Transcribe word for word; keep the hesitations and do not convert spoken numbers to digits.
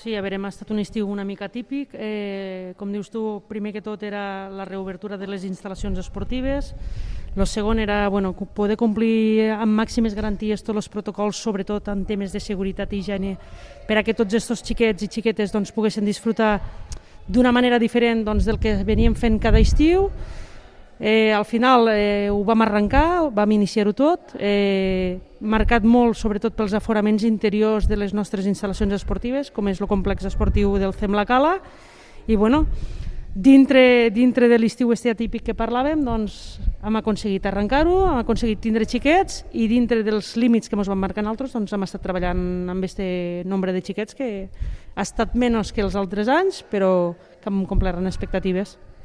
Sí, a veure, hem estat un estiu una mica típic. Eh, com dius tu, primer que tot era la reobertura de les instal·lacions esportives. El segon era bueno, poder complir amb màximes garanties tots els protocols, sobretot en temes de seguretat i higiene, per a que tots aquests xiquets i xiquetes doncs, poguessin disfrutar d'una manera diferent doncs, del que veníem fent cada estiu. Eh, al final eh, ho vam arrencar, vam iniciar-ho tot, eh, marcat molt sobretot pels aforaments interiors de les nostres instal·lacions esportives, com és el complex esportiu del C E M La Cala, i bueno, dintre, dintre de l'estiu este atípic que parlàvem, doncs hem aconseguit arrencar-ho, hem aconseguit tindre xiquets i dintre dels límits que ens van marcar nosaltres doncs hem estat treballant amb aquest nombre de xiquets que ha estat menys que els altres anys, però que hem complert en expectatives.